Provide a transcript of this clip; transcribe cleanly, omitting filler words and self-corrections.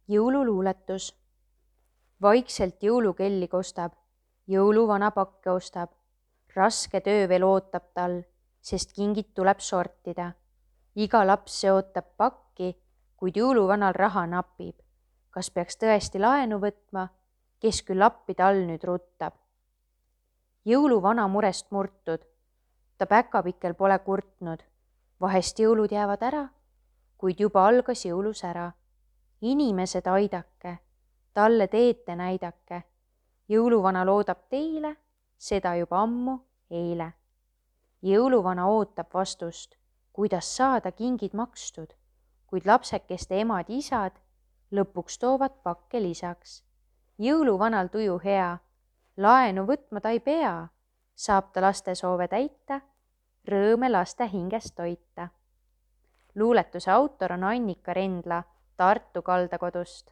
Jõululuuletus. Vaikselt jõulukelli kostab, jõuluvana pakke ostab. Raske töö veel ootab tal, sest kingid tuleb sortida. Iga laps see ootab pakki, kuid jõuluvanal raha napib. Kas peaks tõesti laenu võtma, kes küll appi tal nüüd ruttab? Jõuluvana murest murtud, ta päkapikkel pole kurtnud. Vahest jõulud jäävad ära, kuid juba algas jõulusära. Inimesed aidake, talle teete näidake. Jõuluvana loodab teile, seda juba ammu eile. Jõuluvana ootab vastust, kuidas saada kingid makstud, kuid lapsekeste emad-isad lõpuks toovad pakke lisaks. Jõuluvanal tuju hea, laenu võtma ta ei pea, saab ta laste soove täita, rõõme laste hinges toita. Luuletuse autor on Annika Rendla Tartu kaldakodust.